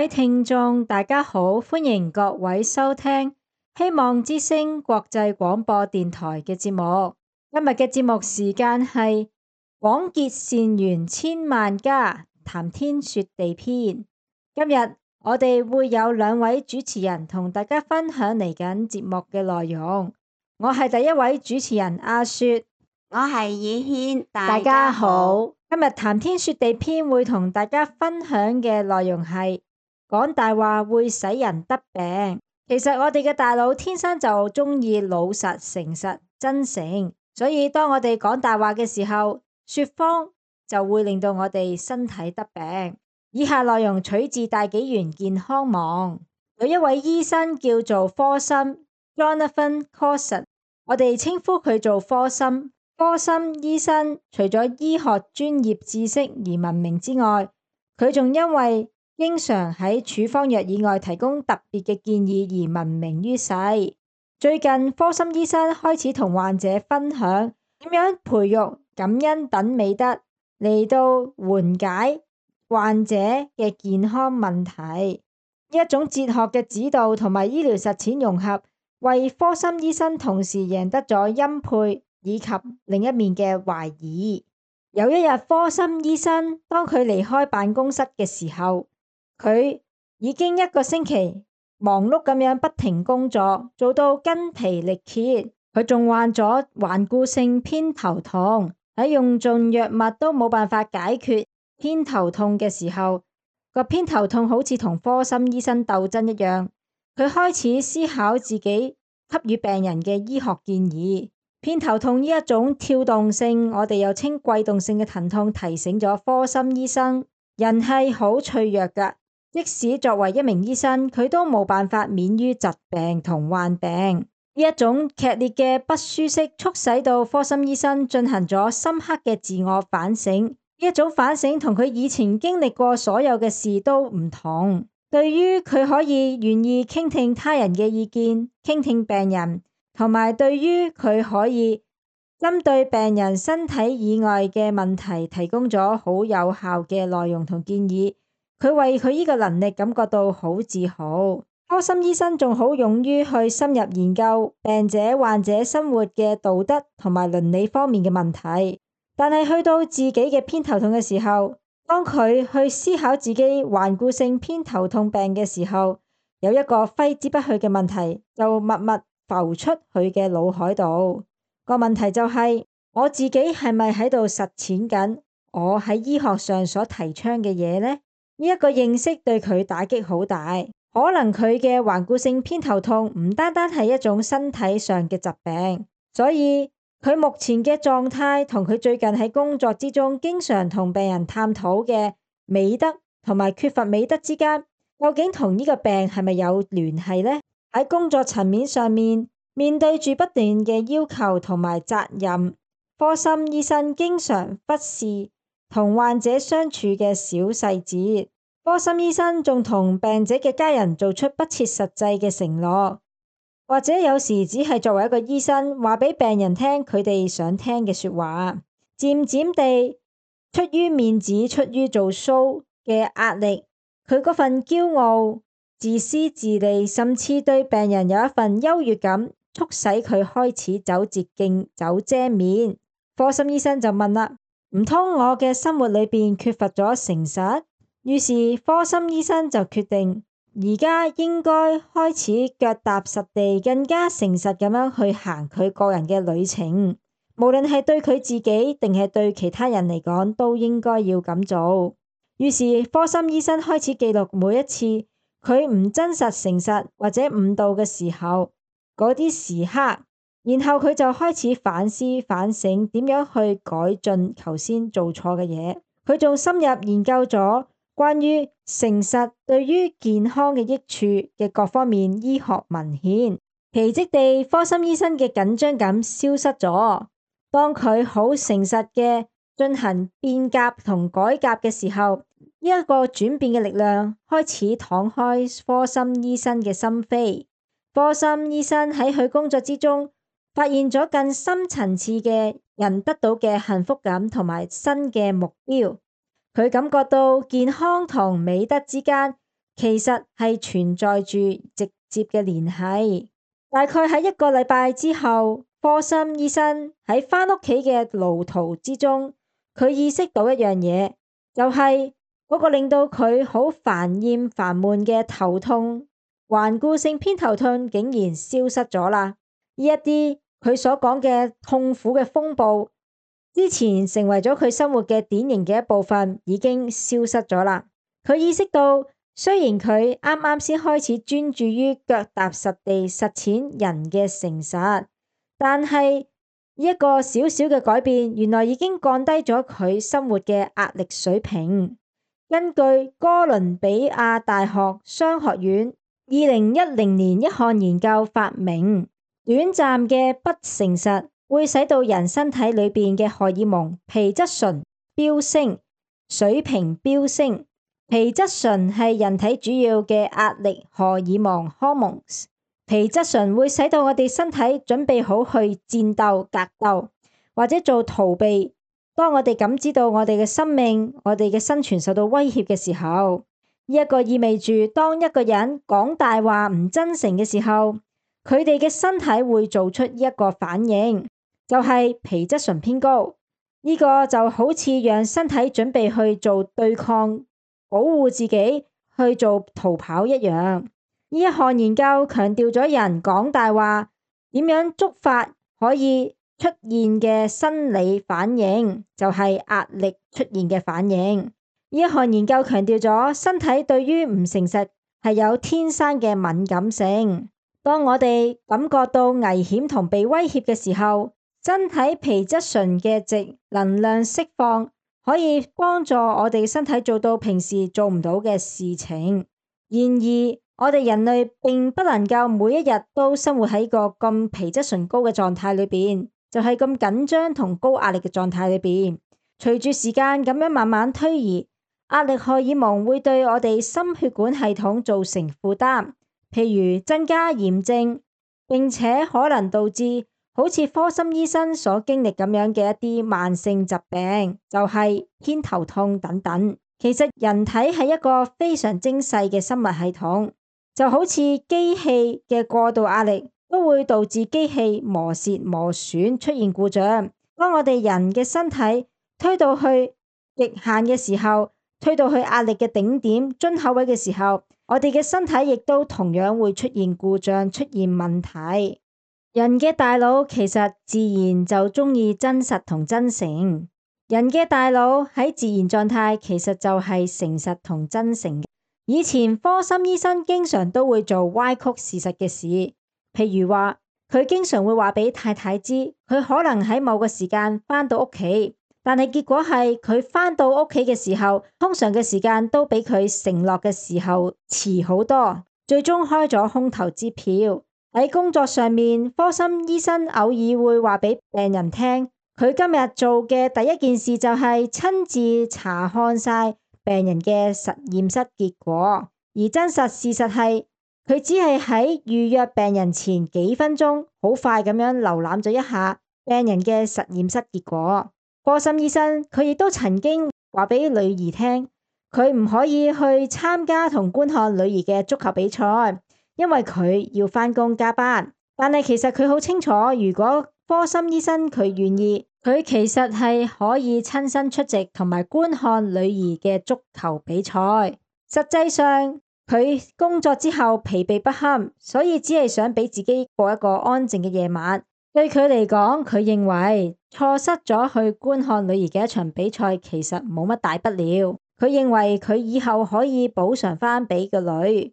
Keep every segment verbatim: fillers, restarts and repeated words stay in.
位聽眾，大家好，歡迎各位收聽希望之聲國際廣播電台嘅節目。今日嘅節目時間係廣結善緣千萬家，談天說地篇。今日我哋會有兩位主持人同大家分享嚟緊節目嘅內容。我係第一位主持人阿雪，我係以軒，大家好。今日談天說地篇會同大家分享嘅內容係講大話會使人得病。其實我哋嘅大腦天生就中意老實、誠實、真誠，所以當我哋講大話嘅時候，說謊就會令到我哋身體得病。以下內容取自大紀元健康網，有一位醫生叫做科森 Jonathan Coulson， 我哋稱呼佢做科森。科森醫生除咗醫學專業知識而聞名之外，佢仲因為經常喺處方藥以外提供特別嘅建議而聞名於世。最近科森醫生開始同患者分享點樣培育感恩等美德嚟到緩解患者嘅健康問題。呢一種哲學嘅指導同埋醫療實踐融合，為科森醫生同時贏得咗欽佩以及另一面嘅懷疑。有一日，科森醫生當佢離開辦公室嘅時候，佢已經一個星期忙碌咁樣不停工作，做到筋疲力竭。佢仲患咗頑固性偏頭痛，喺用盡藥物都冇辦法解決偏頭痛嘅時候，個偏頭痛好似同科森醫生鬥爭一樣。佢開始思考自己給予病人嘅醫學建議。偏頭痛呢一種跳動性，我哋又稱悸動性嘅疼痛，提醒咗科森醫生，人係好脆弱㗎。即使作為一名醫生，佢都冇辦法免於疾病同患病。呢一種劇烈嘅不舒適，促使到科森醫生進行咗深刻嘅自我反省。呢一種反省同佢以前經歷過所有嘅事都唔同。對於佢可以願意傾聽他人嘅意見，傾聽病人，同埋對於佢可以針對病人身體以外嘅問題提供咗好有效嘅內容同建議，佢為佢呢個能力感覺到好自豪。科森醫生仲好勇於去深入研究病者患者生活嘅道德同埋倫理方面嘅問題，但係去到自己嘅偏頭痛嘅時候，當佢去思考自己頑固性偏頭痛病嘅時候，有一個揮之不去嘅問題就默默浮出佢嘅腦海度。個問題就係，我自己係咪喺度實踐緊我喺醫學上所提倡嘅嘢呢？呢一個認識對佢打擊好大。可能佢嘅頑固性偏頭痛唔單單係一種身體上嘅疾病，所以佢目前嘅狀態同佢最近喺工作之中經常同病人探討嘅美德同埋缺乏美德之間，究竟同呢個病係咪有聯繫呢？喺工作層面上面，面對住不斷嘅要求同埋責任，科森醫生經常忽視同患者相處嘅小細節。科森醫生仲同病者嘅家人做出不切實際嘅承諾，或者有時只係作為一個醫生話俾病人聽佢哋想聽嘅說話。漸漸地，出於面子、出於做 show 嘅壓力，佢嗰份驕傲、自私自利，甚至對病人有一份優越感，促使佢開始走捷徑、走遮面。科森醫生就問啦：唔通我嘅生活裏邊缺乏咗誠實？於是科森醫生就決定，而家應該開始腳踏實地，更加誠實咁樣去行佢個人嘅旅程。無論係對佢自己定係對其他人嚟講，都應該要咁做。於是科森醫生開始記錄每一次佢唔真實、誠實或者誤導嘅時候嗰啲時刻，然後佢就開始反思反省點樣去改進頭先做錯嘅嘢。佢仲深入研究咗關於誠實對於健康嘅益處嘅各方面醫學文獻。奇蹟地，科森醫生嘅緊張感消失咗。當佢好誠實嘅進行變革同改革嘅時候，呢一個轉變嘅力量開始敞開科森醫生嘅心扉。科森醫生喺佢工作之中發現咗更深層次嘅人得到嘅幸福感同埋新嘅目標。佢感覺到健康同美德之間其實係存在住直接嘅聯繫。大概喺一個禮拜之後，科森醫生喺返屋企嘅路途之中，佢意識到一樣嘢，就係嗰個令到佢好煩厭煩悶嘅頭痛，頑固性偏頭痛竟然消失咗啦。呢一啲佢所講嘅痛苦嘅風暴，之前成為咗佢生活嘅典型嘅一部分，已經消失咗啦。佢意識到，雖然佢啱啱先開始專注於腳踏實地實踐人嘅誠實，但係呢一個小小嘅改變，原來已經降低咗佢生活嘅壓力水平。根據哥倫比亞大學商學院二零一零年一項研究發明，短暫嘅不誠實會使到人身體裏邊嘅荷爾蒙皮質醇飆升，水平飆升。皮質醇係人體主要嘅壓力荷爾蒙 hormones。皮質醇會使到我哋身體準備好去戰鬥、格鬥或者做逃避。當我哋感知到我哋嘅生命、我哋嘅生存受到威脅嘅時候，呢一個意味住當一個人講大話唔真誠嘅時候，佢哋嘅身體會做出一個反應，就係皮質醇偏高。呢個就好似讓身體準備去做對抗、保護自己、去做逃跑一樣。呢一項研究強調咗人講大話點樣觸發可以出現嘅生理反應，就係壓力出現嘅反應。呢一項研究強調咗身體對於唔誠實係有天生嘅敏感性。當我哋感覺到危險同被威脅嘅時候，身體皮質醇嘅值能量釋放，可以幫助我哋身體做到平時做唔到嘅事情。然而，我哋人類並不能夠每一日都生活喺個咁皮質醇高嘅狀態裏邊，就係咁緊張同高壓力嘅狀態裏邊。隨住時間咁樣慢慢推移，壓力荷爾蒙會對我哋心血管系統造成負擔，譬如增加炎症，並且可能導致好似科森醫生所經歷咁樣嘅一啲慢性疾病，就係偏頭痛等等。其實人體係一個非常精細嘅生物系統，就好似機器嘅過度壓力都會導致機器磨蝕磨損出現故障。當我哋人嘅身體推到去極限嘅時候，推到去壓力嘅頂點樽口位嘅時候，我哋嘅身體亦都同樣會出現故障，出現問題。人嘅大腦其實自然就中意真實同真誠。人嘅大腦喺自然狀態其實就係誠實同真誠嘅。以前科森醫生經常都會做歪曲事實嘅事，譬如話佢經常會話俾太太知佢可能喺某個時間返到屋企，但係結果係佢返到屋企嘅時候，通常嘅時間都比佢承諾嘅時候遲好多，最終開咗空頭支票。喺工作上面，科森醫生偶爾會話俾病人聽，佢今日做嘅第一件事就係親自查看晒病人嘅實驗室結果，而真實事實係佢只係喺預約病人前幾分鐘，好快咁樣瀏覽咗一下病人嘅實驗室結果。科森醫生佢亦都曾經話俾女兒聽，佢唔可以去參加同觀看女兒嘅足球比賽，因為佢要返工加班。但係其實佢好清楚，如果科森醫生佢願意，佢其實係可以親身出席同埋觀看女兒嘅足球比賽。實際上佢工作之後疲憊不堪，所以只係想俾自己過一個安靜嘅夜晚。對佢嚟講，佢認為錯失咗去觀看女兒嘅一場比賽其實冇乜大不了。佢認為佢以後可以補償返俾個女。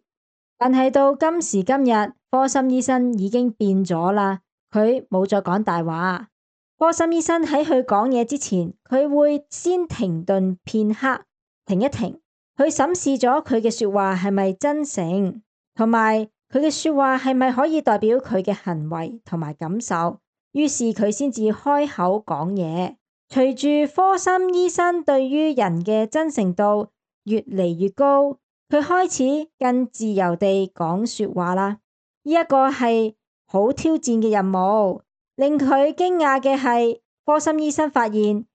但係到今時今日，科森醫生已經變咗啦，佢冇再講大話。科森醫生喺佢講嘢之前，佢會先停頓片刻，停一停，去審視咗佢嘅說話係咪真誠，同埋佢嘅說話係咪可以代表佢嘅行為同埋感受。於是佢先至開口講嘢。隨住科森醫生對於人嘅真誠度越嚟越高，佢開始更自由地講說話啦。呢一個係好挑戰嘅任務。令佢驚訝嘅係，科森醫生發現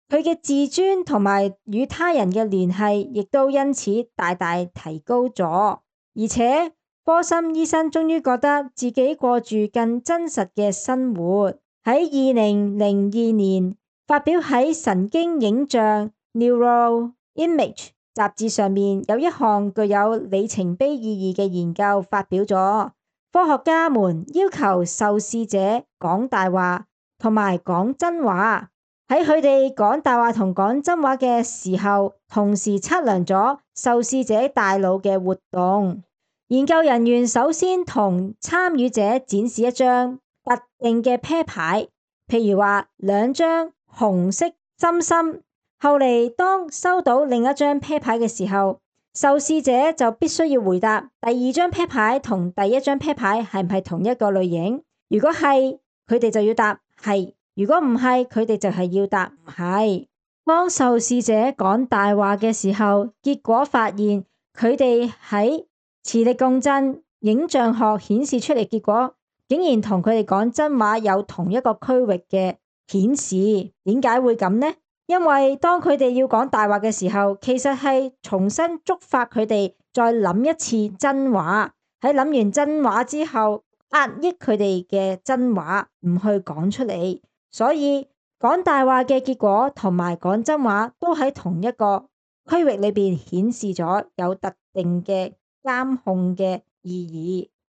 佢嘅自尊同埋與他人嘅聯繫亦都因此大大提高咗。而且波森醫生終於覺得自己過住更真實嘅生活。喺二零零二年發表喺神經影像 Neuroimage 雜誌上面，有一項具有里程碑意義嘅研究發表咗。科學家們要求受試者講大話同埋講真話，喺佢哋講大話同講真話嘅時候，同時測量咗受試者大腦嘅活動。研究人員首先同參與者展示一張特定嘅啤牌，譬如話兩張紅色心心。後嚟當收到另一張啤牌嘅時候，受試者就必須要回答第二張啤牌同第一張啤牌係唔係同一個類型。如果係，佢哋就要答係；如果唔係，佢哋就係要答唔係。當受試者講大話嘅時候，結果發現佢哋喺磁力共振影像學顯示出嚟結果，竟然同佢哋講真話有同一個區域嘅顯示。點解會咁呢？因為當佢哋要講大話嘅時候，其實係重新觸發佢哋再諗一次真話。喺諗完真話之後，壓抑佢哋嘅真話，唔去講出嚟。所以講大話嘅結果同埋講真話都喺同一個區域裏邊顯示咗有特定嘅監控嘅意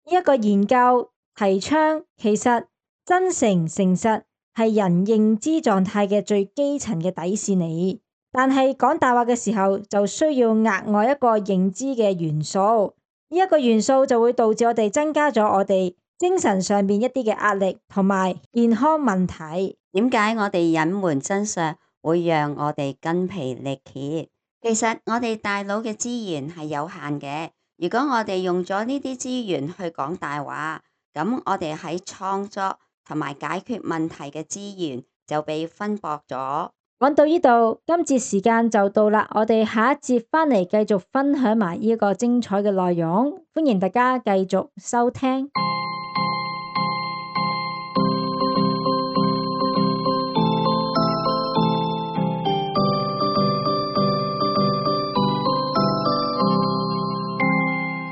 義。呢一個研究提倡，其實真誠誠實係人認知狀態嘅最基層嘅底線嚟，但係講大話嘅時候就需要額外一個認知嘅元素。呢一個元素就會導致我哋增加咗我哋精神上面一啲嘅壓力同埋健康問題。點解我哋隱瞞真相會讓我哋筋疲力竭？其實我哋大腦嘅資源係有限嘅。如果我哋用咗呢啲資源去講大話，咁我哋喺創作同埋解決問題嘅資源就被分薄咗。講到呢度，今節時間就到啦，我哋下一節返嚟繼續分享埋呢個精彩嘅內容，歡迎大家繼續收聽。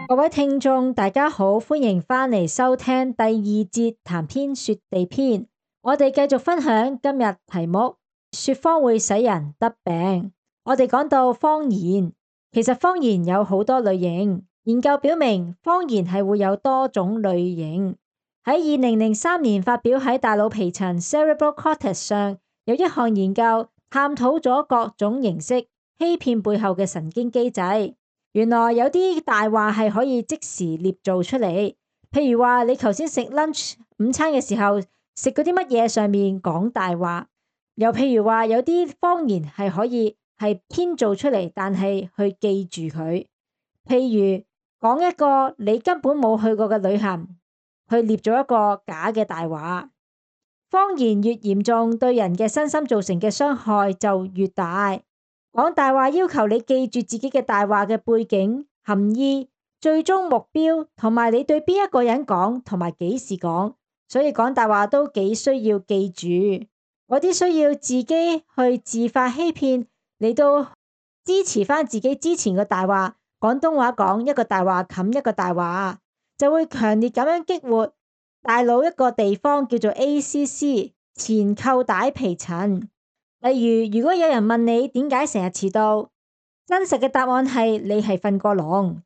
各位聽眾，大家好，歡迎返嚟收聽第二節談天說地篇。我哋繼續分享今日題目，說謊會使人得病。我哋講到謊言，其實謊言有好多類型。研究表明，謊言係會有多種類型。喺二零零三年發表喺大腦皮層 Cerebral Cortex 上，有一項研究探討咗各種形式欺騙背後嘅神經機制。原來有啲大話係可以即時捏造出嚟，譬如話你頭先食 lunch 午餐嘅時候食嗰啲乜嘢上面講大話，又譬如話有啲謊言係可以係編造出嚟，但係去記住佢。譬如講一個你根本冇去過嘅旅行，去捏咗一個假嘅大話。謊言越嚴重，對人嘅身心造成嘅傷害就越大。講大話要求你記住自己嘅大話嘅背景、含義、最終目標，同埋你對邊一個人講，同埋幾時講。所以講大話都幾需要記住。嗰啲需要自己去自發欺騙，你都支持翻自己之前嘅大話。廣東話講一個大話冚一個大話，就會強烈咁樣激活大腦一個地方叫做 A C C 前扣帶皮層。例如，如果有人問你點解成日遲到，真實嘅答案係你係瞓過籠，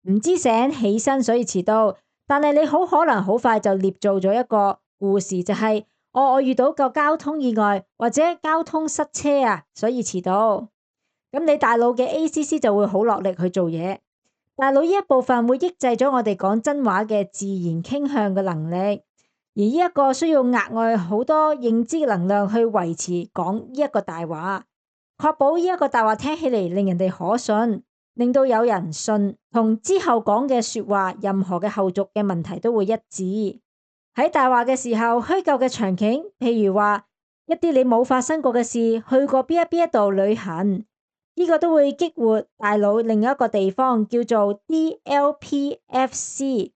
唔知醒起身所以遲到。但係你好可能好快就捏造咗一個故事，就係、是、我我遇到個交通意外或者交通塞車啊，所以遲到。咁你大腦嘅 A C C 就會好落力去做嘢。大腦呢一部分會抑制咗我哋講真話嘅自然傾向嘅能力。而呢一個需要額外好多認知能量去維持講呢一個大話，確保呢一個大話聽起嚟令人哋可信，令到有人信，同之後講嘅說話任何嘅後續嘅問題都會一致。喺大話嘅時候，虛構嘅場景，譬如話一啲你冇發生過嘅事，去過邊一邊一度旅行，呢個都會激活大腦另一個地方叫做 D L P F C，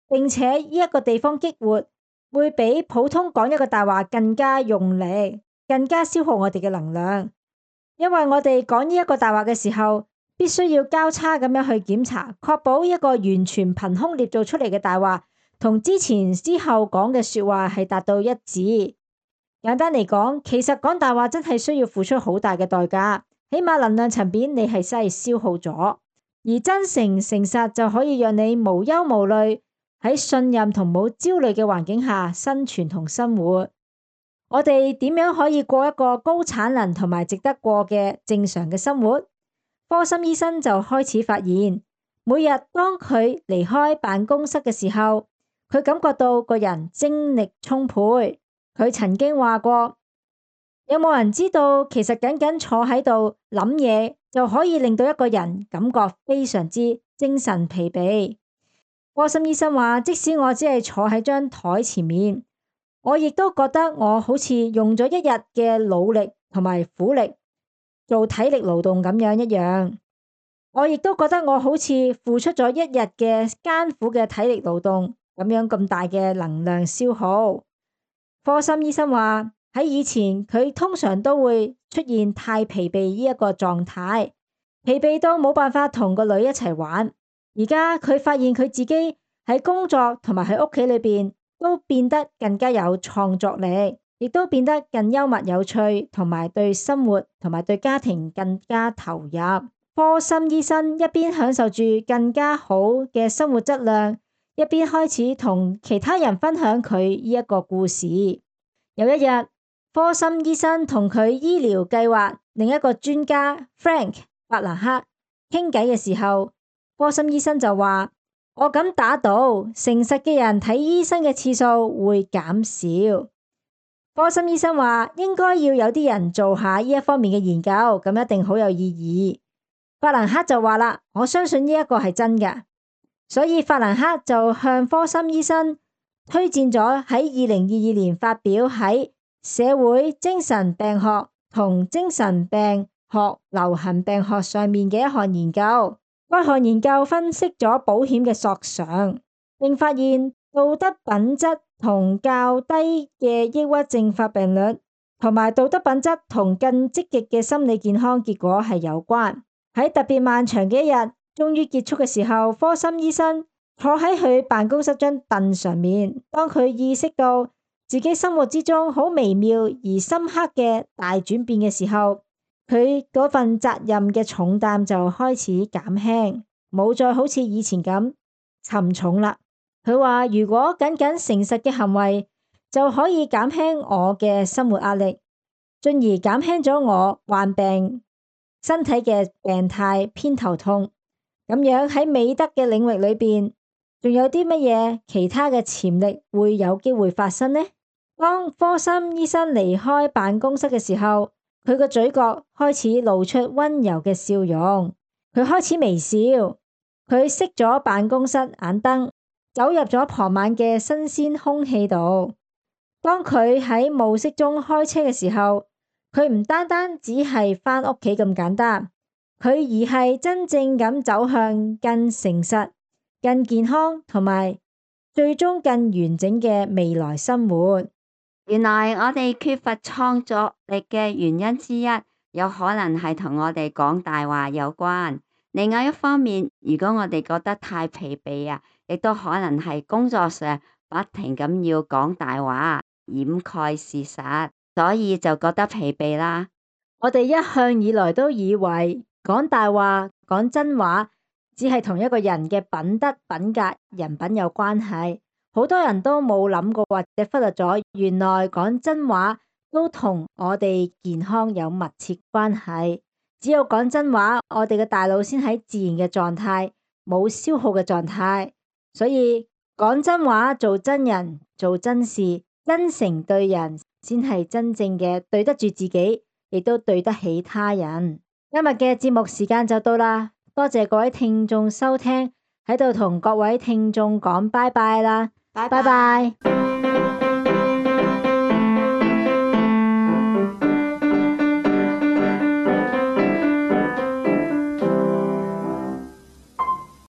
並且呢一個地方激活會比普通講一個大話更加用力。更加消耗我哋嘅能量。因為我哋講呢一個大話嘅時候，必須要交叉咁樣去檢查，確保一個完全憑空捏造出嚟嘅大話，同之前之後講嘅說話係達到一致。簡單嚟講，其實講大話真係需要付出好大嘅代價，起碼能量層面你係真係消耗咗，而真誠誠實就可以讓你無憂無慮喺信任同冇焦慮嘅環境下生存同生活。我哋點樣可以過一個高產能同埋值得過嘅正常嘅生活？科森醫生就開始發現，每日當佢離開辦公室嘅時候，佢感覺到個人精力充沛。佢曾經話過，有冇人知道其實僅僅坐喺度諗嘢就可以令到一個人感覺非常之精神疲憊？科森醫生話，即使我只係坐喺張台前面，我亦都覺得我好似用咗一日嘅努力同埋苦力做體力勞動咁樣一樣。我亦都覺得我好似付出咗一日嘅艱苦嘅體力勞動咁樣咁大嘅能量消耗。科森醫生話，喺以前佢通常都會出現太疲憊呢一個狀態，疲憊到冇辦法同個女一齊玩。而家佢發現佢自己喺工作同埋喺屋企裏邊都變得更加有創作力，亦都變得更幽默有趣，同埋對生活同埋對家庭更加投入。科森醫生一邊享受住更加好嘅生活質量，一邊開始同其他人分享佢呢一個故事。有一日，科森醫生同佢醫療計劃另一個專家 Frank 法蘭克傾偈嘅時候，科森醫生就話，我敢打賭，誠實嘅人睇醫生嘅次數會減少。科森醫生話，應該要有啲人做下呢一方面嘅研究，咁一定好有意義。法蘭克就話啦，我相信呢一個係真嘅。所以法蘭克就向科森醫生推薦咗喺二零二二年發表喺社會精神病學同精神病學流行病學上面嘅一項研究。該項研究分析咗保險嘅索償，並發現道德品質同較低嘅抑鬱症發病率，同埋道德品質同更積極嘅心理健康結果係有關。喺特別漫長嘅一日終於結束嘅時候，科森醫生坐喺佢辦公室張凳上面，當佢意識到自己生活之中好微妙而深刻嘅大轉變嘅時候，佢嗰份責任嘅重擔就開始減輕，冇再好似以前咁沉重啦。佢話，如果僅僅誠實嘅行為就可以減輕我嘅生活壓力，進而減輕咗我患病身體嘅病態偏頭痛，咁樣喺美德嘅領域裏邊，仲有啲乜嘢其他嘅潛力會有機會發生呢？當科森醫生離開辦公室嘅時候，佢個嘴角開始露出溫柔嘅笑容，佢開始微笑，佢熄咗辦公室眼燈，走入咗傍晚嘅新鮮空氣度。當佢喺暮色中開車嘅時候，佢唔單單只係返屋企咁簡單，佢而係真正咁走向更誠實、更健康同埋最終更完整嘅未來生活。原來我哋缺乏創作力嘅原因之一，有可能係同我哋講大話有關。另外一方面，如果我哋覺得太疲憊啊，亦都可能係工作上不停咁要講大話，掩蓋事實，所以就覺得疲憊啦。我哋一向以來都以為講大話、講真話，只係同一個人嘅品德、品格、人品有關係。好多人都冇諗過或者忽略咗，原來講真話都同我哋健康有密切關係。只有講真話，我哋嘅大腦先喺自然嘅狀態，冇消耗嘅狀態。所以講真話、做真人、做真事、真誠對人，先係真正嘅對得住自己，亦都對得起他人。今日嘅節目時間就到啦，多謝各位聽眾收聽，喺度同各位聽眾講拜拜啦。拜拜。